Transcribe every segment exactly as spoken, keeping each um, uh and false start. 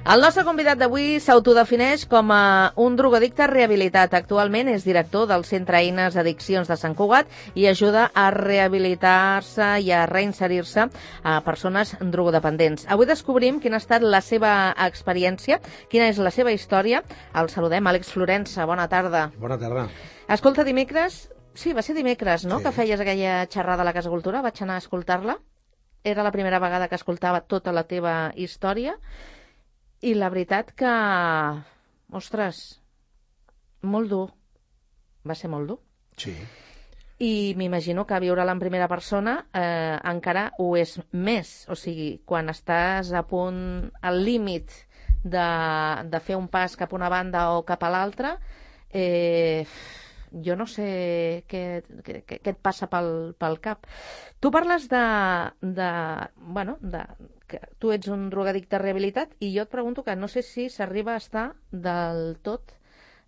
El nostre convidat d'avui s'autodefineix com a un drogodicte rehabilitat. Actualment és director del Centre Eines Addiccions de Sant Cugat i ajuda a rehabilitar-se i a reinserir-se a persones drogodependents. Avui descobrim quina ha estat la seva experiència, quina és la seva història. El saludem, Àlex Florença. Bona tarda. Bona tarda. Escolta, dimecres, sí, va ser dimecres, no?, sí, que feies aquella xerrada a la Casa Cultura. Vaig anar a escoltar-la. Era la primera vegada que escoltava tota la teva història. I la veritat que, ostres, molt dur. Va ser molt dur. Sí. I m'imagino que viure-la en primera persona eh, encara ho és més. O sigui, quan estàs a punt, al límit de, de fer un pas cap a una banda o cap a l'altra, eh, jo no sé què, què, què et passa pel, pel cap. Tu parles de, de, bueno, de, que tu ets un drogadicte rehabilitat i jo et pregunto que no sé si s'arriba a estar del tot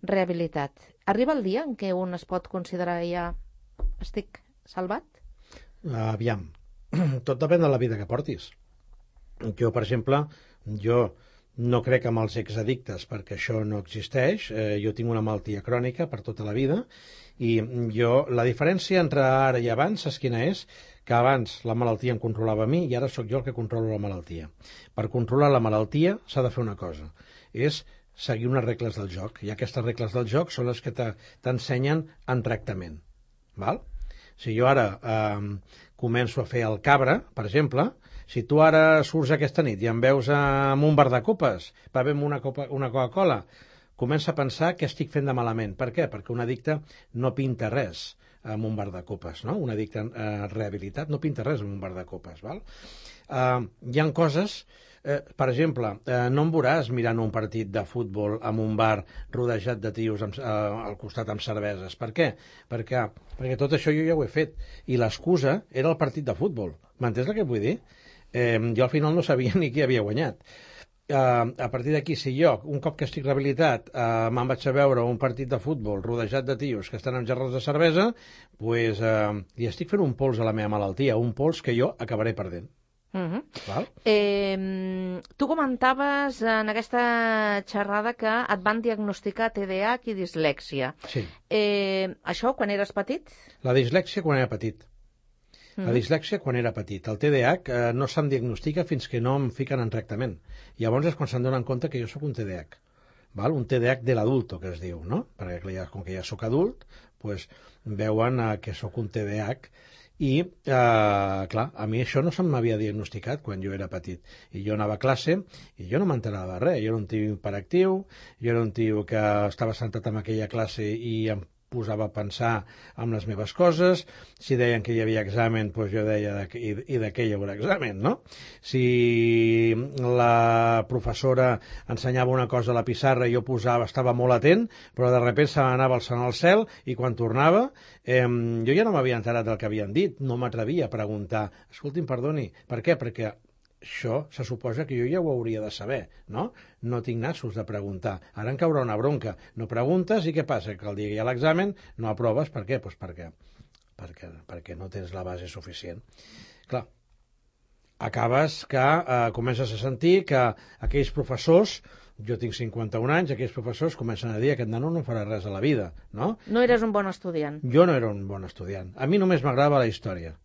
rehabilitat. Arriba el dia en què un es pot considerar ja estic salvat? Aviam, tot depèn de la vida que portis. Jo, per exemple, jo no crec en els exaddictes perquè això no existeix. Eh, jo tinc una malaltia crònica per tota la vida i jo, la diferència entre ara i abans és quina és? Que abans la malaltia em controlava a mi i ara sóc jo el que controlo la malaltia. Per controlar la malaltia s'ha de fer una cosa, és seguir unes regles del joc, i aquestes regles del joc són les que t'ensenyen en tractament. Val? Si jo ara eh, començo a fer el cabra, per exemple, si tu ara surts aquesta nit i em veus amb un bar de copes, bevem una, copa, una Coca-Cola, comença a pensar que estic fent de malament. Per què? Perquè un addicte no pinta res amb un bar de copes, no? Un addicte eh, rehabilitat no pinta res amb un bar de copes, val? Eh, hi ha coses, eh, per exemple, eh, no em veuràs mirant un partit de futbol en un bar rodejat de tios amb, eh, al costat amb cerveses. Per què? Perquè, perquè tot això jo ja ho he fet i l'excusa era el partit de futbol. M'entens el que vull dir? Eh, jo al final no sabia ni qui havia guanyat. Uh, a partir d'aquí, si jo, un cop que estic rehabilitat, uh, me'n vaig a veure un partit de futbol rodejat de tios que estan amb gerres de cervesa, pues, uh, li estic fent un pols a la meva malaltia, un pols que jo acabaré perdent. Uh-huh. Val? Eh, tu comentaves en aquesta xerrada que et van diagnosticar T D A H i dislèxia. Sí. Eh, això quan eres petit? La dislèxia quan era petit. La dislèxia quan era petit. El T D A H eh, no se'm diagnostica fins que no em fiquen en tractament. Llavors és quan se'n donen compte que jo sóc un T D A H. Val? Un T D A H de l'adulto, que es diu, no? Perquè ja, com que ja sóc adult, pues, veuen eh, que sóc un T D A H i, eh, clar, a mi això no se'm m'havia diagnosticat quan jo era petit. I jo anava a classe i jo no m'enterava de res. Jo era un tio hiperactiu, jo era un tio que estava sentat en aquella classe i em posava a pensar en les meves coses. Si deien que hi havia examen, doncs jo deia de, i, i de què hi haurà examen, no? Si la professora ensenyava una cosa a la pissarra i jo posava, estava molt atent, però de sobte se m'anava alçant al cel i quan tornava eh, jo ja no m'havia enterat del que havien dit, no m'atrevia a preguntar. Escolti'm, perdoni, per què? Perquè això se suposa que jo ja ho hauria de saber, no? No tinc nassos de preguntar. Ara em caurà una bronca. No preguntes i què passa? Que el dia que hi ha l'examen no aproves. Per què? Pues perquè, perquè, perquè no tens la base suficient. Clar, acabes que eh, comences a sentir que aquells professors, jo tinc cinquanta-un anys, aquells professors comencen a dir que aquest nano no farà res a la vida, no? No eres un bon estudiant. Jo no era un bon estudiant. A mi només m'agradava la història.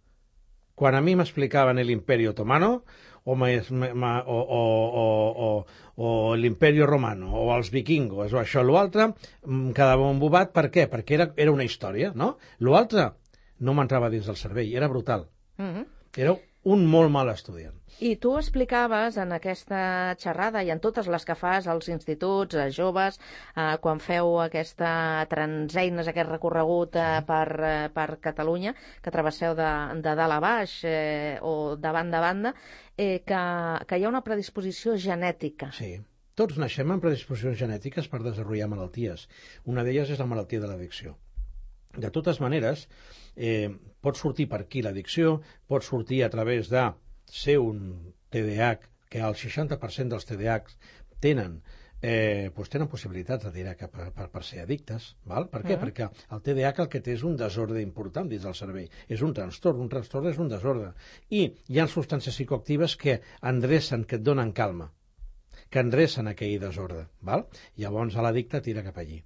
Quan a mi m'explicaven l'Imperi Otomano o, me, me, o, o, o, o, o l'Imperi Romano o els vikingos o això o l'altre, em quedava embobat. Per què? Perquè era, era una història, no? L'altre no m'entrava dins del cervell, era brutal. Uh-huh. Era un molt mal estudiant. I tu explicaves en aquesta xerrada i en totes les que fas als instituts, a joves, eh, quan feu aquesta transeines, aquest recorregut eh, per, eh, per Catalunya, que travesseu de, de dalt a baix eh, o de banda a banda, eh, que, que hi ha una predisposició genètica. Sí, tots naixem amb predisposicions genètiques per desenvolupar malalties. Una d'elles és la malaltia de l'addicció. De totes maneres, eh, pot sortir per aquí l'addicció, pot sortir a través de ser un T D A H, que el seixanta per cent dels T D A H tenen, eh, doncs tenen possibilitats de tirar cap a, per, per ser addictes. Val? Per què? Uh-huh. Perquè el T D A H el que té és un desordre important dins del cervell. És un trastorn, un trastorn és un desordre. I hi ha substàncies psicoactives que endrecen, que et donen calma. que endrecen aquell desordre. Val? Llavors l'addicte tira cap allí.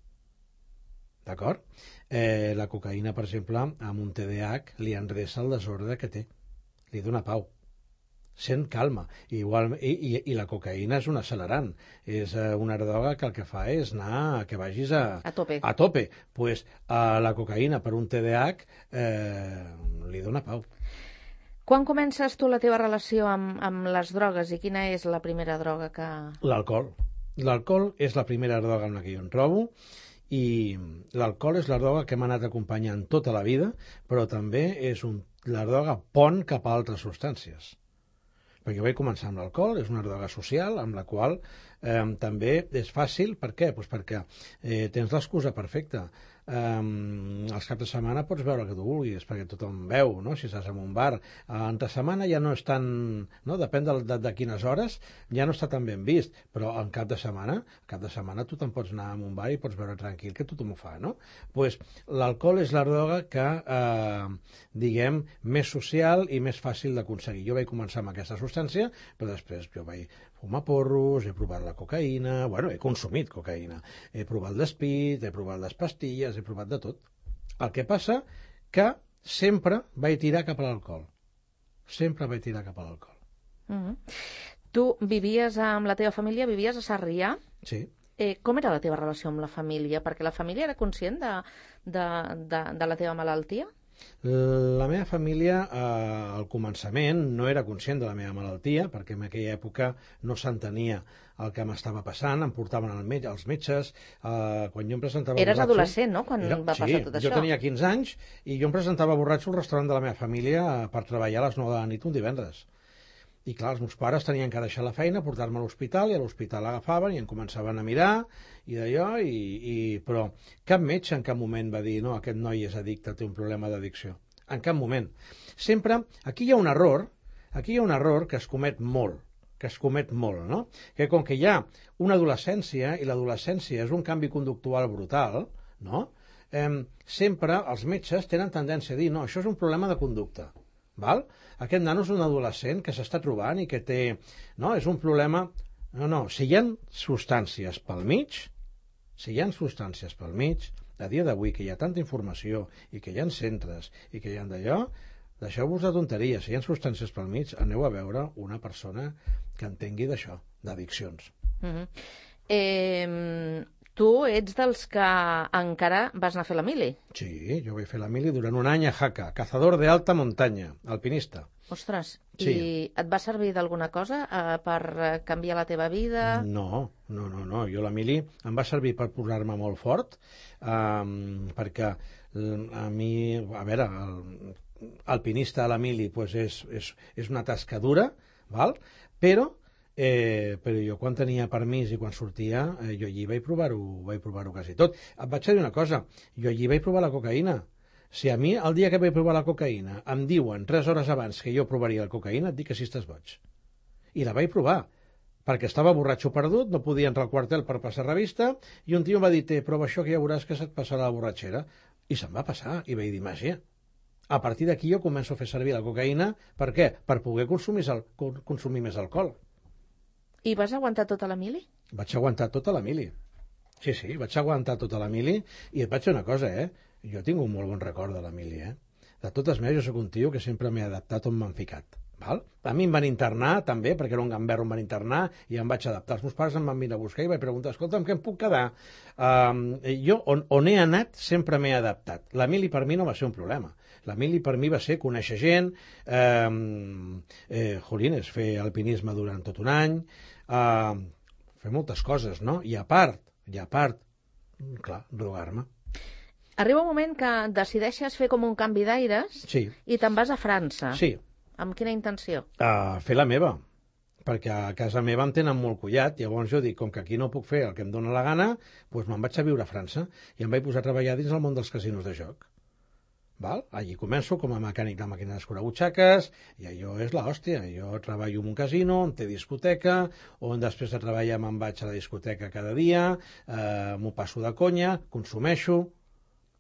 D'acord? Eh, la cocaïna, per exemple, amb un T D A H li endreça el desordre que té. Li dona pau. Sent calma. Igual, i, i, I la cocaïna és un accelerant. És eh, una droga que el que fa és anar que vagis a, a tope. A tope. Pues, a la cocaïna per un T D A H eh, li dona pau. Quan comences tu la teva relació amb, amb les drogues i quina és la primera droga que... L'alcohol. L'alcohol és la primera droga en la que jo em trobo i l'alcohol és la droga que m'ha anat acompanyant tota la vida, però també és un, la droga pont cap a altres substàncies. Perquè jo vaig començar amb l'alcohol, és una droga social amb la qual eh, també és fàcil. Per què? Pues perquè eh, tens l'excusa perfecta. Um, els caps de setmana pots veure el que tu vulguis perquè tothom veu, no? Si estàs en un bar uh, entre setmana ja no és tan, no? Depèn de, de, de quines hores, ja no està tan ben vist, però en cap de setmana cap de setmana tu te'n pots anar a un bar i pots veure tranquil que tothom ho fa, no? Pues l'alcohol és la droga que eh, diguem, més social i més fàcil d'aconseguir. Jo vaig començar amb aquesta substància, però després jo vaig fumar porros, he provat la cocaïna, bueno, he consumit cocaïna, he provat l'espit, he provat les pastilles, he provat de tot. El que passa que sempre vaig tirar cap a l'alcohol. Sempre vaig tirar cap a l'alcohol. Mm-hmm. Tu vivies amb la teva família, vivies a Sarrià? Sí. Eh, com era la teva relació amb la família? Perquè la família era conscient de, de, de, de la teva malaltia? La meva família, eh, al començament, no era conscient de la meva malaltia, perquè en aquella època no s'entenia el que m'estava passant, em portaven al metge, als metges, eh, quan jo em presentava Eres borratxo... adolescent, no?, quan era, va sí, passar tot això. Jo tenia quinze anys i jo em presentava borratxo al restaurant de la meva família per treballar a les nou de la nit un divendres. I clar, els meus pares tenien que deixar la feina, portar-me a l'hospital, i a l'hospital l'agafaven i em començaven a mirar, i d'allò, i, i... però cap metge en cap moment va dir no, aquest noi és addicte, té un problema d'addicció. En cap moment. Sempre, aquí hi ha un error, aquí hi ha un error que es comet molt, que es comet molt, no? Que com que hi ha una adolescència, i l'adolescència és un canvi conductual brutal, no? Eh, sempre els metges tenen tendència a dir no, això és un problema de conducta. Val? Aquest nano és un adolescent que s'està trobant i que té... No, és un problema... No, no, si hi ha substàncies pel mig, si hi ha substàncies pel mig, a dia d'avui que hi ha tanta informació i que hi ha centres i que hi ha d'allò, deixeu-vos de tonteries. Si hi ha substàncies pel mig, aneu a veure una persona que entengui d'això, d'addiccions. Mm-hmm. Eh... Tu ets dels que encara vas anar a fer la mili. Sí, jo vaig fer la mili durant un any a Jaca, cazador de alta muntanya, alpinista. Ostres, sí. I et va servir d'alguna cosa eh, per canviar la teva vida? No, no, no, no. Jo la mili em va servir per posar-me molt fort, um, perquè a mi, a veure, el alpinista a la mili pues és, és, és una tasca dura, val? Però Eh, però jo quan tenia permís i quan sortia eh, jo allí vaig provar-ho vaig provar-ho quasi tot. Et vaig dir una cosa, jo allí vaig provar la cocaïna. Si a mi el dia que vaig provar la cocaïna em diuen tres hores abans que jo provaria la cocaïna, et dic que si estàs boig. I la vaig provar perquè estava borratxo perdut, no podia entrar al quartel per passar revista, i un tio em va dir, prova això que ja veuràs que se't passarà la borratxera. I se'm va passar, i vaig dir, màgia. A partir d'aquí jo començo a fer servir la cocaïna. Per què? Per poder consumir, consumir més alcohol. I vas aguantar tota la mili? Vaig aguantar tota la mili. Sí, sí, vaig aguantar tota la mili, i et vaig dir una cosa, eh? Jo tinc un molt bon record de la mili, eh? De totes maneres, jo soc un tio que sempre m'he adaptat on m'han ficat. Val? A mi em van internar, també, perquè era un gamberro, em van internar, i em vaig adaptar. Els meus pares em van venir a buscar i vaig preguntar, escolta'm, què em puc quedar? Um, jo, on, on he anat, sempre m'he adaptat. La mili per mi no va ser un problema. La mili per mi va ser conèixer gent, eh, eh, jolines, fer alpinisme durant tot un any, eh, fer moltes coses, no? I a part, i a part, clar, drogar-me. Arriba un moment que decideixes fer com un canvi d'aires sí. i te'n vas a França. Sí. Amb quina intenció? Uh, fer la meva, perquè a casa meva em tenen molt collat, llavors jo dic, com que aquí no puc fer el que em dóna la gana, doncs me'n vaig a viure a França i em vaig posar a treballar dins el món dels casinos de joc. Val? Allí començo com a mecànic de màquines escurabutxaques, i allò és l'hòstia. Jo treballo en un casino, on té discoteca, on després de treballar me'n vaig a la discoteca cada dia, eh, m'ho passo de conya, consumeixo.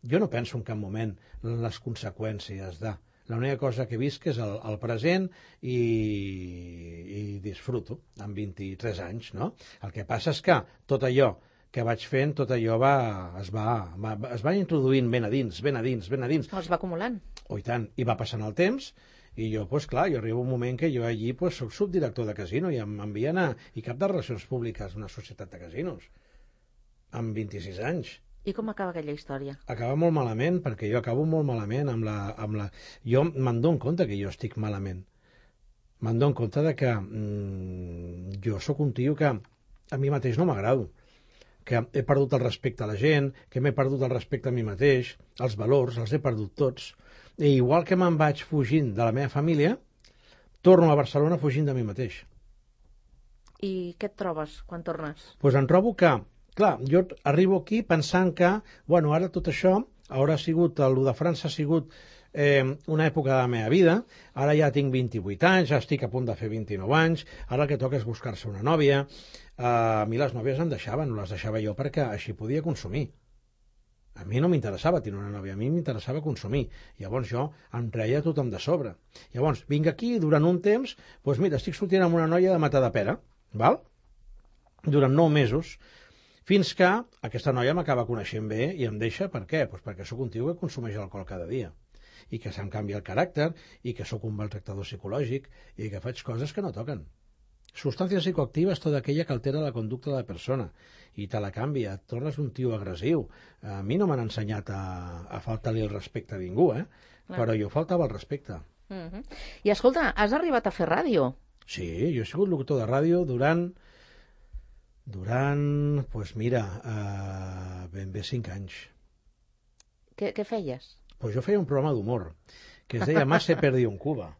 Jo no penso en cap moment en les conseqüències de... L'única cosa que visc és el, el present i, i disfruto amb vint-i-tres anys, no? El que passa és que tot allò que vaig fent, tot allò va, es, va, va, es va introduint ben a dins, ben a dins, ben a dins. Es va acumulant. Oh, i tant, i va passant el temps, i jo, doncs clar, jo arribo un moment que jo allí pues, soc subdirector de casino i em envien a... i cap de relacions públiques d'una societat de casinos, amb vint-i-sis anys. I com acaba aquella història? Acaba molt malament, perquè jo acabo molt malament amb la... Amb la... Jo me'n dono compte que jo estic malament. Me'n dono compte de que mmm, jo sóc un tio que a mi mateix no m'agrado, que he perdut el respecte a la gent, que m'he perdut el respecte a mi mateix, els valors, els he perdut tots. I igual que me'n vaig fugint de la meva família, torno a Barcelona fugint de mi mateix. I què et trobes quan tornes? Doncs pues em trobo que, clar, jo arribo aquí pensant que, bueno, ara tot això haurà sigut, el de França ha sigut eh, una època de la meva vida, ara ja tinc vint-i-vuit anys, ja estic a punt de fer vint-i-nou anys, ara el que toca és buscar-se una nòvia. Eh, a mi les nòvies em deixaven, no les deixava jo perquè així podia consumir. A mi no m'interessava tenir una nòvia, a mi m'interessava consumir. Llavors jo em treia tothom de sobre. Llavors vinc aquí durant un temps, doncs mira, estic sortint amb una noia de Matadepera, val? Durant nou mesos, fins que aquesta noia m'acaba coneixent bé i em deixa. Per què? Doncs perquè sóc un tio que consumeix alcohol cada dia i que se'm canvia el caràcter i que sóc un maltractador psicològic i que faig coses que no toquen. Substàncies psicoactives, tota aquella que altera la conducta de la persona i te la canvia, et tornes un tio agressiu. A mi no m'han ensenyat a, a faltar-li el respecte a ningú, eh? Clar. Però jo faltava el respecte. Uh -huh. I escolta, has arribat a fer ràdio? Sí, jo he sigut locutor de ràdio durant, durant, doncs pues mira, uh, ben bé cinc anys. Què, què feies? Pues jo feia un programa d'humor que es deia Más se perdió en Cuba.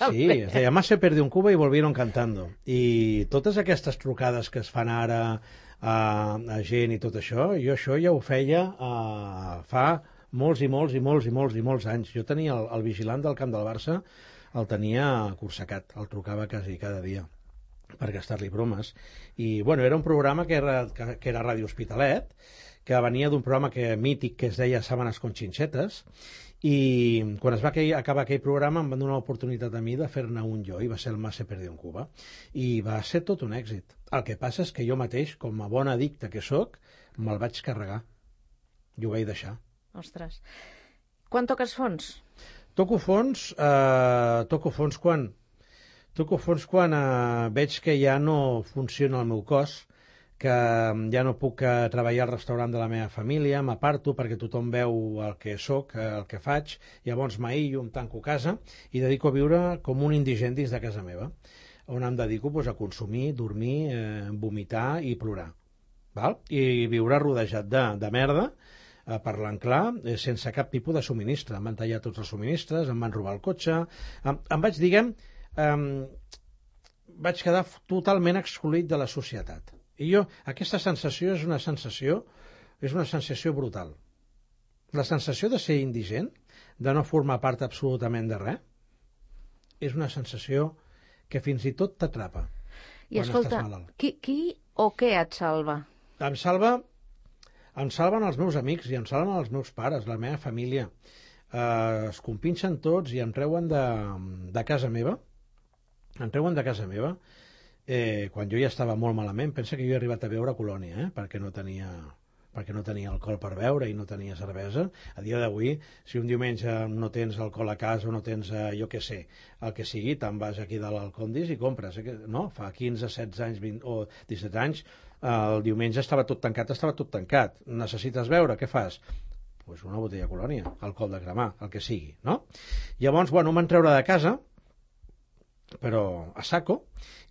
Sí, es deia Más se perdió en Cuba y volvieron cantando. I totes aquestes trucades que es fan ara a, a gent i tot això, jo això ja ho feia a, fa molts i molts i molts i molts i molts anys. Jo tenia el, el vigilant del camp del Barça, el tenia cursecat, el trucava quasi cada dia per gastar-li bromes. I, bueno, era un programa que era, que, que era Ràdio Hospitalet, que venia d'un programa que, mític que es deia Sábanas con Chinchetas, i quan es va acabar aquell programa em van donar l'oportunitat a mi de fer-ne un jo, i va ser el Más se perdió en Cuba, i va ser tot un èxit. El que passa és que jo mateix, com a bon addicte que sóc, me'l vaig carregar i ho vaig deixar. Ostres. Quan toques fons? Toco fons, eh, toco fons quan, toco fons quan eh, veig que ja no funciona el meu cos, que ja no puc eh, treballar al restaurant de la meva família, m'aparto perquè tothom veu el que sóc, eh, el que faig, llavors m'aïllo, em tanco a casa i dedico a viure com un indigent dins de casa meva, on em dedico doncs, a consumir, dormir, eh, vomitar i plorar. Val? I viure rodejat de, de merda, eh, parlant clar, eh, sense cap tipus de subministre. Em van tallar tots els subministres, em van robar el cotxe, em, em vaig, diguem, eh, vaig quedar totalment excloït de la societat. I jo, aquesta sensació és una sensació, és una sensació brutal. La sensació de ser indigent, de no formar part absolutament de res, és una sensació que fins i tot t'atrapa. I escolta, qui, qui o què et salva? Em salva, em salven els meus amics i em salven els meus pares, la meva família. Eh, es compinxen tots i em treuen de, de casa meva. Em treuen de casa meva. Eh, quan jo ja estava molt malament, pensa que jo he arribat a beure Colònia, eh? perquè no tenia perquè no tenia alcohol per beure i no tenia cervesa. A dia d'avui, si un diumenge no tens alcohol a casa o no tens, eh, jo què sé, el que sigui, te'n vas aquí de l'Alcondis i compres. Eh? No? Fa quinze, setze anys vint, o disset anys, eh, el diumenge estava tot tancat, estava tot tancat. Necessites beure, què fas? Pues una botella de Colònia, alcohol de cremar, el que sigui, no? Llavors, bueno, em van treure de casa, però a saco,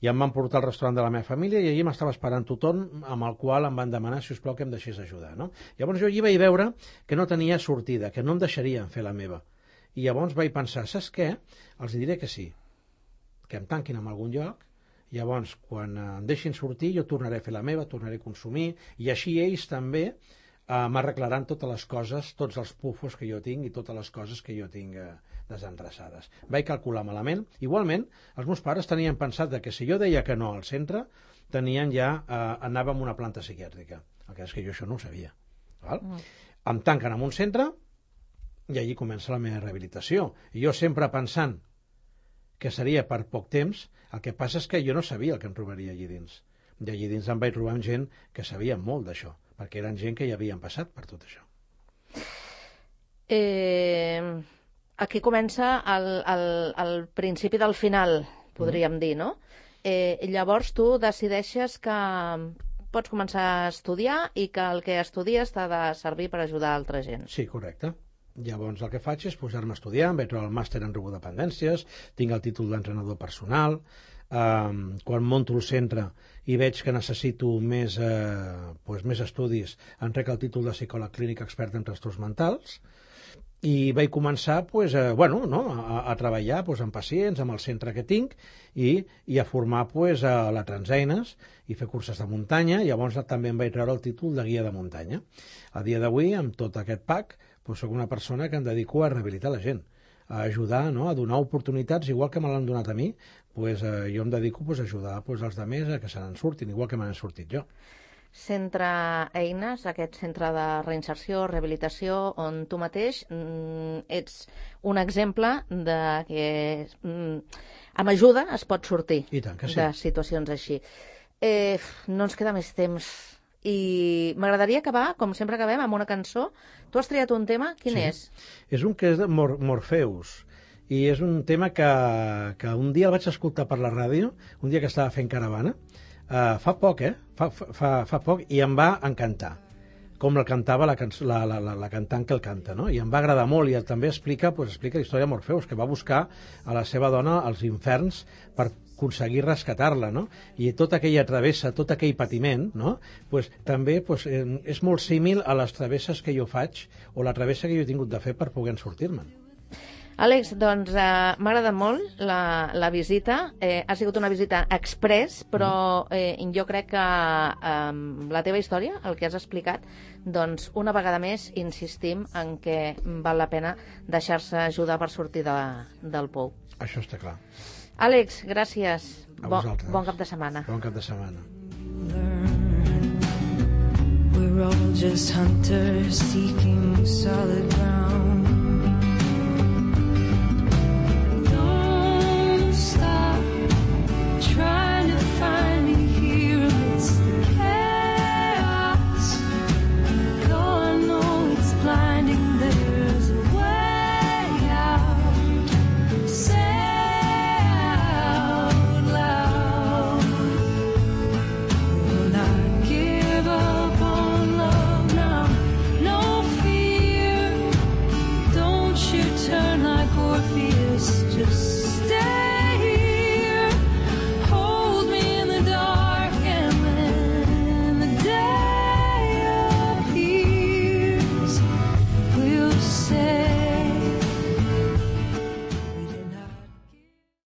i em van portar al restaurant de la meva família i allí m'estava esperant tothom amb el qual em van demanar, si us plau, que em deixés ajudar, no? Llavors jo allí vaig veure que no tenia sortida, que no em deixarien fer la meva. I llavors vaig pensar, saps què? Els diré que sí, que em tanquin en algun lloc, llavors quan em deixin sortir jo tornaré a fer la meva, tornaré a consumir, i així ells també eh, m'arreglaran totes les coses, tots els pufos que jo tinc i totes les coses que jo tinc eh, desendreçades. Vaig calcular malament. Igualment, els meus pares tenien pensat que si jo deia que no al centre, tenien ja, eh, anàvem a una planta psiquiàtrica. El que és que jo això no ho sabia. Val? Mm. Em tanquen en un centre, i allí comença la meva rehabilitació. I jo sempre pensant que seria per poc temps, el que passa és que jo no sabia el que em trobaria allí dins. I allí dins em vaig trobar amb gent que sabia molt d'això, perquè eren gent que ja havien passat per tot això. Eh, aquí comença el, el, el principi del final, podríem mm. dir, no? Eh, llavors tu decideixes que pots començar a estudiar i que el que estudies t'ha de servir per ajudar altra gent. Sí, correcte. Llavors el que faig és posar-me a estudiar, em vaig trobar el màster en robodependències, tinc el títol d'entrenador personal, eh, quan monto el centre i veig que necessito més, eh, doncs més estudis, entrec el títol de psicòleg clínic expert en trastorns mentals, i vaig començar pues, eh, bueno, no, a, a treballar pues, amb pacients, amb el centre que tinc i, i a formar pues, a la Transeines i fer curses de muntanya. Llavors també em vaig treure el títol de guia de muntanya. A dia d'avui, amb tot aquest pack, pues, soc una persona que em dedico a rehabilitar la gent, a ajudar, no, a donar oportunitats, igual que me l'han donat a mi, pues, eh, jo em dedico pues, a ajudar pues, els altres a que se n'en surtin, igual que me n'he sortit jo. Centre Eines, aquest centre de reinserció, rehabilitació, on tu mateix mm, ets un exemple de que mm, amb ajuda es pot sortir I tant que sí. de situacions així. Eh, no ens queda més temps i m'agradaria acabar, com sempre acabem, amb una cançó. Tu has triat un tema, quin sí. és? És un que és de Mor Morpheus i és un tema que, que un dia el vaig escoltar per la ràdio, un dia que estava fent caravana. Uh, fa poc, eh? Fa, fa, fa poc, i em va encantar, com el cantava la, cançó, la, la, la, la cantant que el canta, no? I em va agradar molt, i també explica, pues, explica la història de Morpheus, que va buscar a la seva dona als inferns per aconseguir rescatar-la, no? I tota aquella travessa, tot aquell patiment, no? Pues, també pues, eh, és molt símil a les travesses que jo faig, o la travessa que jo he tingut de fer per poder sortir-me'n. Àlex, doncs eh, m'ha agradat molt la, la visita. Eh, ha sigut una visita express, però eh, jo crec que eh, la teva història, el que has explicat, doncs una vegada més insistim en que val la pena deixar-se ajudar per sortir de, del pou. Això està clar. Àlex, gràcies. A Bon, vosaltres. bon cap de setmana. Bon cap de setmana. We're all just hunters seeking solid ground.